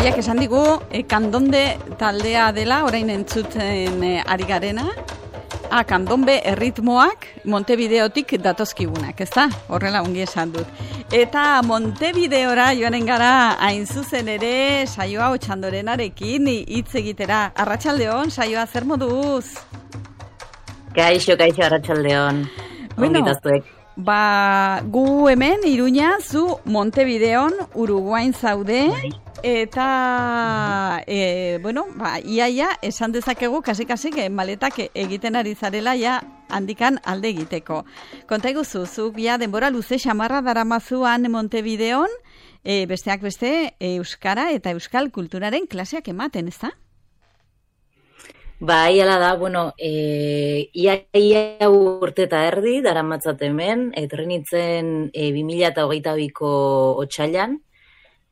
Biak esan digu, Kandonbe taldea dela, orain entzuten ari garena. Kandonbe erritmoak Montevideotik datozkigunak, ezta? Horrela ongi esan dut. Eta Montevideora joanen gara hain zuzen ere saioa Otxandorenarekin hitz egitera. Arratsaldeon, saioa zer moduz? Kaixo, arratsaldeon. Bueno, gu hemen Iruña, zu Montevideon, Uruguain zaude. Eta, iaia, esan dezakegu, kasik maletak egiten ari zarela, ja, handikan alde egiteko. Konta iguzu, zuk, ja, denbora luze xamarra daramazuan Montevideon, besteak beste, euskara eta euskal kulturaren klaseak ematen, ezta? Bai, ala da, ia urte eta erdi, daramatzat hemen, etorri nintzen 2022ko otsailean,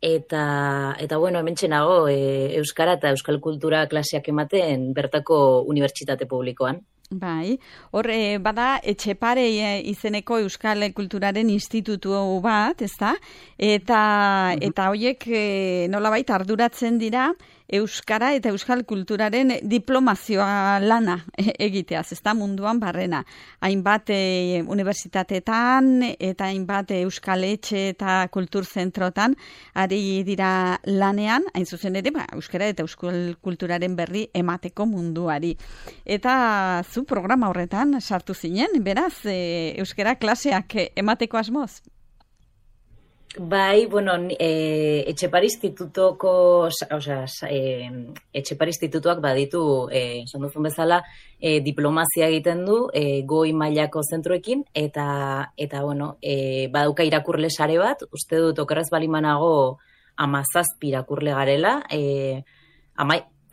Eta hementxe nago euskara eta euskal kultura klaseak ematen bertako unibertsitate publikoan. Bai, hor bada Etxepare izeneko euskal kulturaren institutu bat, ezta? Eta horiek nolabait arduratzen dira euskara eta euskal kulturaren diplomazioa lana egiteaz, ezta munduan barrena. Hainbat unibertsitateetan eta hainbat euskal etxe eta kulturzentrotan ari dira lanean, hain zuzen ere, euskara eta euskal kulturaren berri emateko munduari. Eta zu programa horretan sartu zinen, beraz, euskara klaseak emateko asmoz? Bai, Etxepare institutuak baditu, esan duzun bezala, diplomazia egiten du goi mailako zentroekin, eta badauka irakurle sare bat, uste dut okerraz balimanago 17 irakurle garela,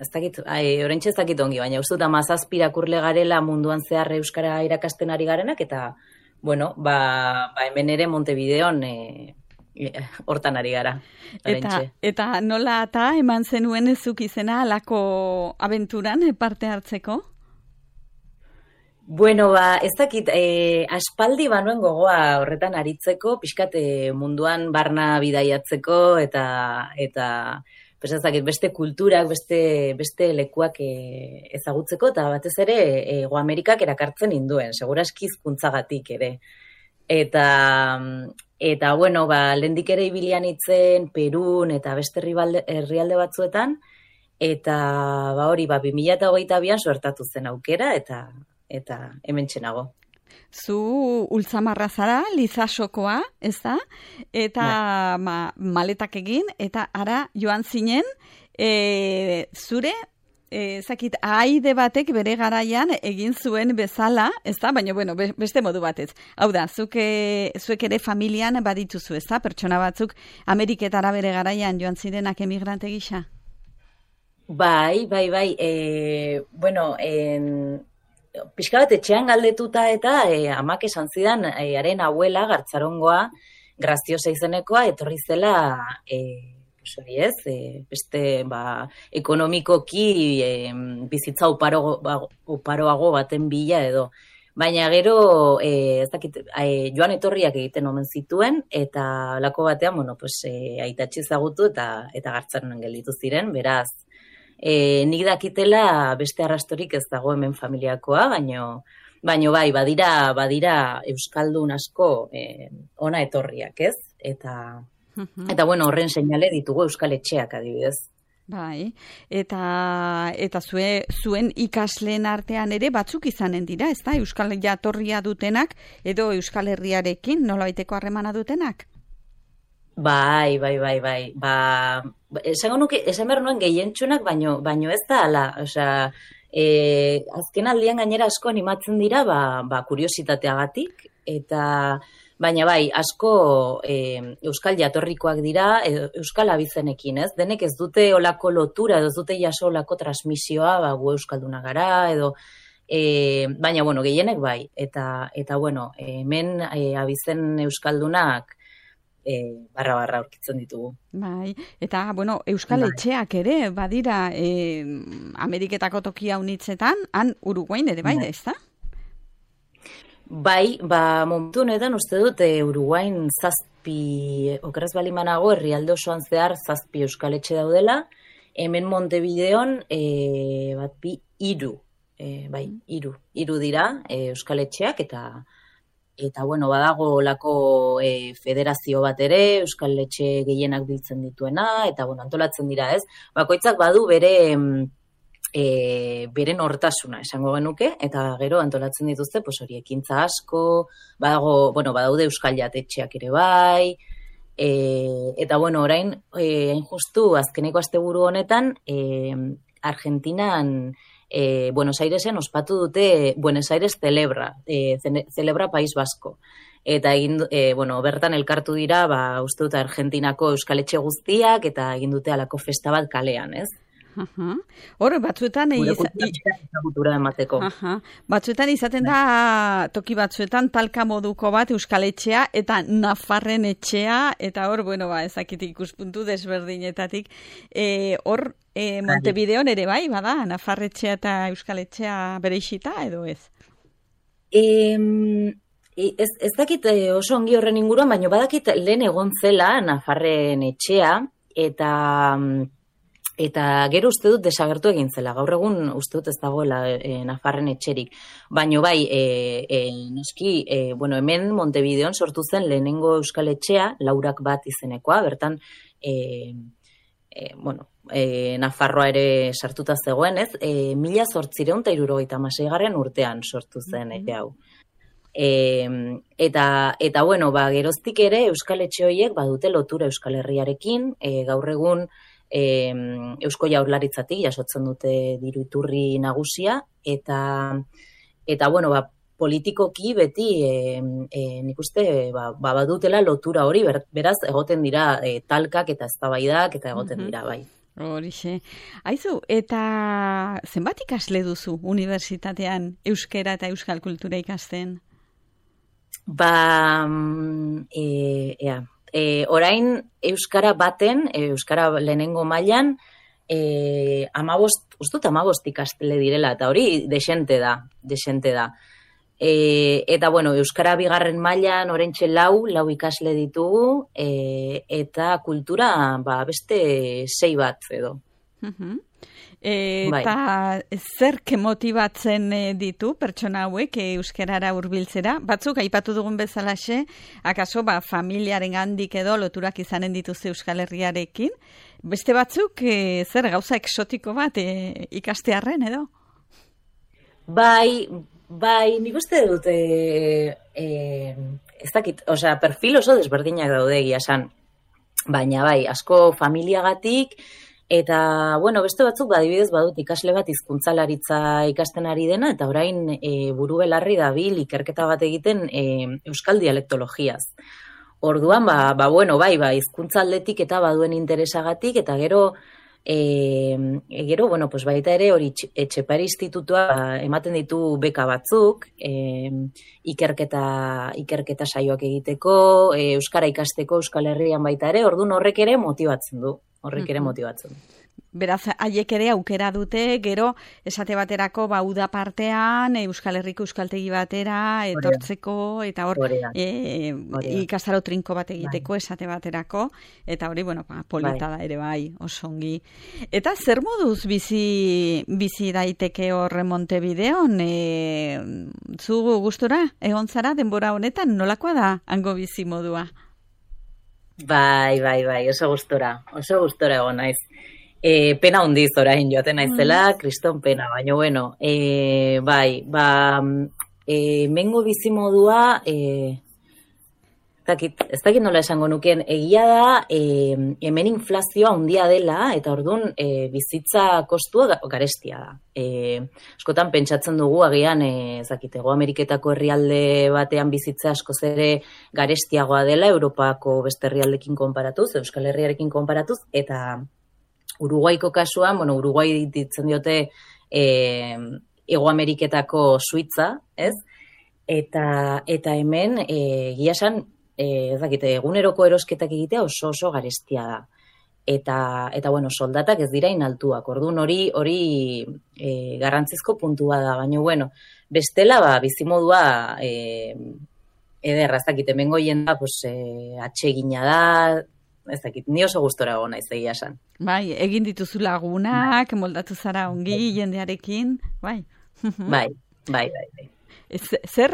oraintxe ez dakit ongi, baina uste dut 17 irakurle garela munduan zehar euskara irakasten ari garenak, eta, hemen ere Montevideon hortan ari gara. Eta nola eta eman zenuen ezuk izena alako abenturan parte hartzeko? Ez dakit, aspaldi banuen gogoa horretan aritzeko, pixkat munduan barna bidaiatzeko, eta ez dakit, beste kulturak, beste lekuak ezagutzeko, eta batez ere, Hego Amerikak erakartzen induen, seguraski hizkuntzagatik ere. Eta lehendik ere ibilian itzen Perun eta beste herrialde batzuetan, eta 2022an suertatu zen aukera, eta hemen txenago. Zu ultzamarra zara, Lizasokoa, ez da? Eta maletak egin, eta ara joan zinen, zure, ahaide batek bere garaian egin zuen bezala, ez da? Baina, beste modu batez. Hau da, zuek ere familian badituzu, ez da? Pertsona batzuk Ameriketara bere garaian joan zirenak emigrante gisa? Bai. Pixka bat etxean galdetuta eta amak esan zidan, haren abuela, Gartzarongoa, Graziosa izenekoa, etorri zela beste ekonomikoki bizitza oparoago baten bila edo. Baina gero, joan etorriak egiten omen zituen, eta lako batean, aitatxe ezagutu eta Gartzaronen gelditu ziren, beraz, nik dakitela beste arrastorik ez dago hemen familiakoa, baina bai, badira euskaldun asko ona etorriak, ez? Eta horren seinale ditugu euskal etxeak adibidez. Bai, eta zuen ikasleen artean ere batzuk izanen dira, ez da? Euskal jatorria dutenak edo Euskal Herriarekin nolabaiteko harremana dutenak? Bai. Esango nuke, esan behar nuen gehientsunak, baino ez da ala. Azken aldian gainera asko animatzen dira, kuriositateagatik, baina bai, asko euskal jatorrikoak dira, euskal abizenekin, ez? Denek ez dute olako lotura, edo ez dute jaso olako transmisioa, gu euskalduna gara, edo... baina, gehienek bai. Eta hemen abizen euskaldunak barra aurkitzen ditugu. Bai, eta, euskal etxeak ere, badira, Ameriketako tokia unitzetan, han Uruguain ere bai da, ez da? Bai, momentu honetan uste dut Uruguain 7, okeraz balimanago, herrialde osoan zehar 7 euskaletxe daudela, hemen Montevideon 3, hiru dira euskaletxeak, eta bueno, badago lako federazio bat ere, euskaletxe gehienak biltzen dituena, eta bueno, antolatzen dira, ez? Bakoitzak badu beren hortasuna esango genuke, eta gero antolatzen dituzte, pues hori ekintza asko, badaude euskal jatetxeak ere bai, eta bueno, orain, hain justu, azkeneko asteburu honetan, Argentinan, Buenos Airesen ospatu dute Buenos Aires celebra País Basko. Eta bertan elkartu dira, uste dut Argentinako euskaletxe guztiak, eta egin dute alako festa bat kalean, ez? Hor, batzuetan batzuetan izaten da toki batzuetan talka moduko bat euskaletxea eta Nafarren etxea, eta hor, ezakit ikuspuntu desberdinetatik. Hor, Montevideon ere bai, bada, Nafarretxea eta euskaletxea bereixita, edo ez? Ez dakit oso ongi horren inguruan, baina badakit lehen egon zela Nafarren etxea, eta gero uste dut desagertu egin zela. Gaur egun uste dut ez dagoela Nafarren etxerik. Baina bai, noski, hemen Montevideon sortu zen lehenengo euskal etxea, Laurak bat izenekoa, bertan, Nafarroa ere sartuta zegoen, ez? 1876 urtean sortu zen hau. Eta geroztik ere euskal etxe horiek badute lotura Euskal Herriarekin, gaur egun Eusko Jaurlaritzatik jasotzen dute diru iturri nagusia, eta politikoki beti nik uste badutela lotura hori, beraz egoten dira talkak eta eztabaidak eta egoten dira, bai. Horixe. Aizu, eta zenbat ikasle duzu unibertsitatean euskera eta euskal kultura ikasten? Orain euskara baten, euskara lehenengo mailan, 15 ikasle direla, eta hori desente da. Eta euskara bigarren mailan oraintxe 4 ikasle ditugu, eta kultura beste 6 bat edo. Eta zerk motibatzen ditu pertsona hauek euskarara hurbiltzera? Batzuk aipatu dugun bezalaxe, akaso familiaren gandik edo loturak izanen dituzte Euskal Herriarekin, beste batzuk zer gauza exotiko bat ikastearren edo? Bai, nik uste dut ez dakit, perfil oso desberdinak daude egia esan, baina bai, asko familiagatik. Eta, beste batzuk, adibidez badut ikasle bat hizkuntzalaritza ikasten ari dena, eta orain buru belarri dabil ikerketa bat egiten euskal dialektologiaz. Orduan, hizkuntza aldetik eta baduen interesagatik, eta gero, baita ere hori Etxepare Institutua ematen ditu beka batzuk, ikerketa saioak egiteko, euskara ikasteko Euskal Herrian baita ere, orduan horrek ere motibatzen du. Beraz, haiek ere aukera dute, gero esate baterako uda partean, Euskal Herriko euskaltegi batera, etortzeko, eta hor ikastaro trinko bat egiteko esate baterako, eta hori, polita da ere bai, osongi. Eta zer moduz bizi daiteke horre Montevideon? Zu gustura, egon zara, denbora honetan, nolakoa da hango bizi modua? Bai, oso gustora egon naiz. Pena hundiz orain joaten naizela, kriston pena, baina mengo bizimodua, ez dakit nola esango nukeen, egia da, hemen inflazioa handia dela, eta orduan bizitza kostua garestia da. Askotan pentsatzen dugu, agian, Hego Ameriketako herrialde batean bizitza askoz ere garestiagoa dela, Europako beste herrialdekin konparatuz, Euskal Herriarekin konparatuz, eta Uruguaiko kasuan, Uruguai ditzen diote Hego Ameriketako Suitza, ez? Eta hemen, egia esan, eguneroko erosketak egitea oso garestia da. eta bueno, soldatak ez dira inaltuak. Orduan hori garrantzizko puntua da, baina bueno, bestela bizimodua ederra, ez dakit, hemengo jenda atsegina da, ez dakit, ni oso gustora gona ez egia esan. Bai, egin dituzu lagunak, moldatu zara ongi jendearekin, bai. Bai. Zer,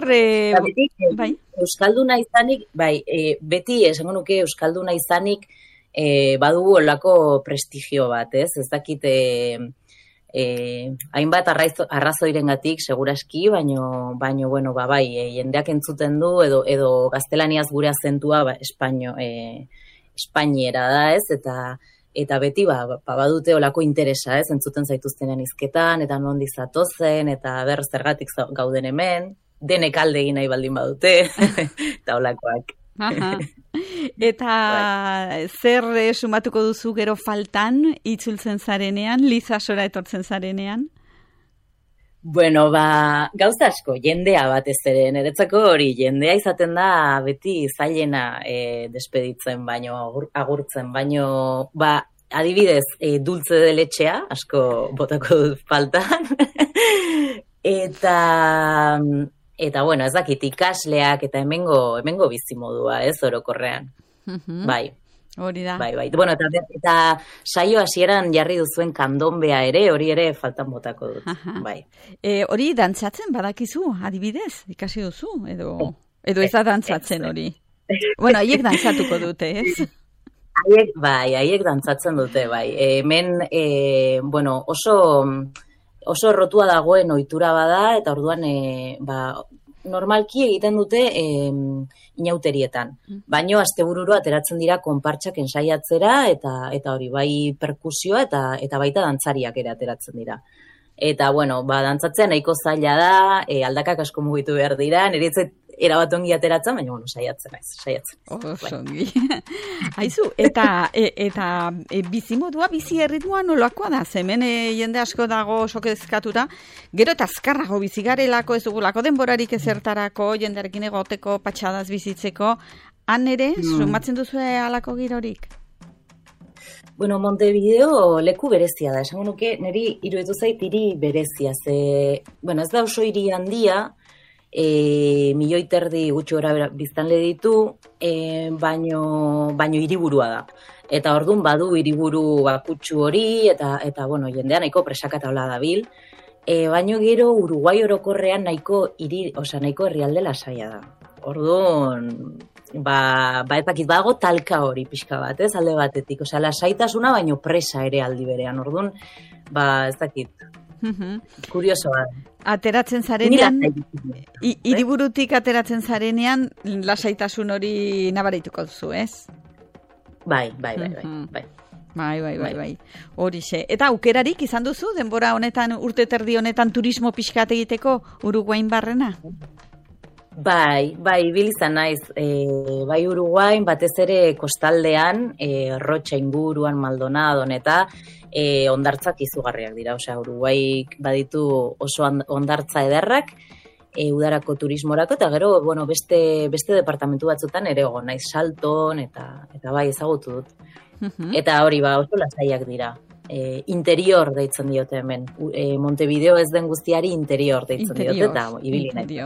bai? Euskalduna izanik, beti esango nuke Euskalduna izanik badugu olako prestigio bat, ez? Ez dakit, hainbat arrazoirengatik seguraski, baino bueno, bai, jendeak entzuten du, edo gaztelaniaz gure azentua espainiera da, ez? Eta beti badute olako interesa, ez? Entzuten zaituztenen hizketan, eta nondi zatozen, eta zergatik gauden hemen, denek alde egin nahi baldin badute, eta olakoak. Eta zer sumatuko duzu gero faltan, itzultzen zarenean, Lizasora etortzen zarenean? Bueno, gauza asko, jendea batez ere, niretzako hori, jendea izaten da beti zailena despeditzen baino, agurtzen baino, adibidez, dulce de letxea, asko botako dut faltan, eta bueno, ez dakit, ikasleak eta hemengo bizimodua, ez orokorrean, bai. Hori da. Bai. Bueno, eta saio hasieran jarri duzuen kandombea ere, hori ere faltan botako dut. Bai. Hori dantzatzen badakizu, adibidez, ikasi duzu, edo ez da dantzatzen hori. Bueno, haiek dantzatuko dute, ez? Haiek dantzatzen dute, bai. Hemen, bueno, oso errotua dagoen ohitura bada, eta orduan, normalki egiten dute inauterietan. Baino astebururo ateratzen dira konpartsak ensaiatzera eta hori bai perkusioa eta baita dantzariak ere ateratzen dira. Eta bueno, dantzatzea nahiko zaila da, aldakak asko mugitu behar dira, niretzat erabat ongi ateratzen, baina bueno, saiatzen. Oso ongi. Aizu, eta bizimodua, bizi erritmoa nolakoa da? Hemen jende asko dago oso kezkatuta, gero eta azkarrago bizigarelako, ez dugulako denborarik ezertarako, jendearekin egoteko, patxadaz bizitzeko, han ere, sumatzen duzu halako girorik? Bueno, Montevideo leku berezia da, esango nuke, niri iruditu zait hiri berezia, bueno, ez da oso hiri handia, 1,5 milioi gutxi gora biztanle ditu, baino hiriburua da. Eta orduan badu hiriburu bakutsu hori, eta bueno, jendea nahiko presaka taula dabil, baino gero Uruguai orokorrean nahiko herrialde lasaia da. Orduan, ez dakit, badago talka hori pixka bat, ez alde batetik, lasaitasuna baino presa ere aldi berean. Orduan, ez dakit, kuriosoa. Ateratzen zarenean, hiriburutik ateratzen zarenean, lasaitasun hori nabarituko duzu, ez? Bai. Horixe. Eta aukerarik izan duzu, denbora honetan, urte terdi honetan, turismo pixkat egiteko Uruguain barrena? Bai, bilizan naiz, bai Uruguain, batez ere kostaldean, Rotxa inguruan, Maldonadon, eta ondartzak izugarriak dira, Uruguaik baditu oso ondartza ederrak, udarako turismorako, eta gero, bueno, beste departamentu batzutan ere egon naiz, Salton, eta bai ezagutu dut. Eta hori oso lasaiak dira. Interior deitzen diote hemen. Montevideo ez den guztiari interior deitzen diote, eta ibili nahi.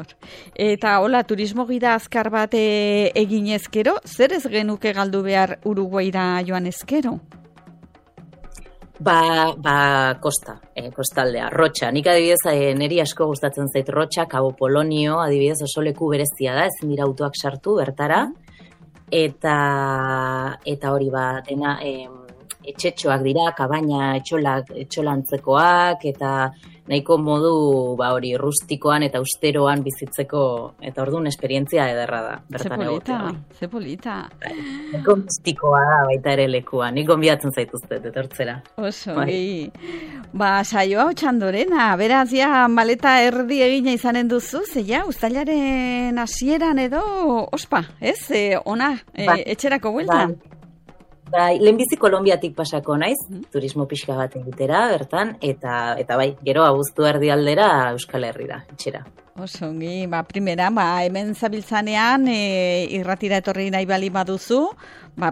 Eta hola, turismo gida azkar bat egin ezkero, zer ez genuke galdu behar Uruguaira joan ezkero? Kostaldea, Rotxa. Nik adibidez, niri asko gustatzen zait Rotxa, Cabo Polonio, adibidez oso leku berezia da, ezin dira autoak sartu bertara, eta hori dena etxetxoak dira, kabaina etxolantzekoak, eta nahiko modu hori rustikoan eta austeroan bizitzeko, eta orduan esperientzia ederra da. Ze polita. Nahiko mistikoa da baita ere lekuan, nik gonbidatzen zaituztet, etortzera. Oso, saioa otxandorena, beraz ja maleta erdi egina izanen duzu, zeia, uztailaren hasieran edo ospa, ez? Ona, etxerako bueltan. Bai, lehenbizi Kolonbiatik pasako naiz, turismo pixka bat egitera, bertan, eta bai, gero abuztu erdialdera Euskal Herrira, etxera. Osongi, primera, hemen zabiltzanean, irratira etorri nahi bali baduzu,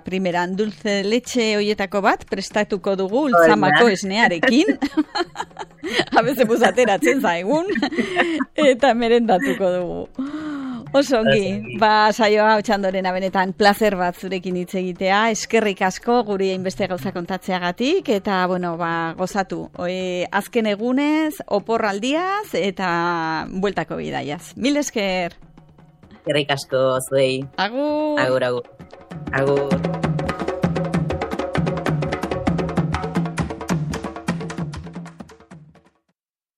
primeran dulce leche hoietako bat prestatuko dugu ultzamako esnearekin. Abezepuz ateratzen zaigun, eta merendatuko dugu. Osongi, saioa Otxandorena benetan plazer bat zurekin hitz egitea, eskerrik asko guri hainbeste gauza kontatzeagatik, eta, gozatu. Azken egunez, oporraldiaz, eta bueltako bidaiaz. Mil esker! Eskerrik asko zuei. Agur! Agur, agur. Agur.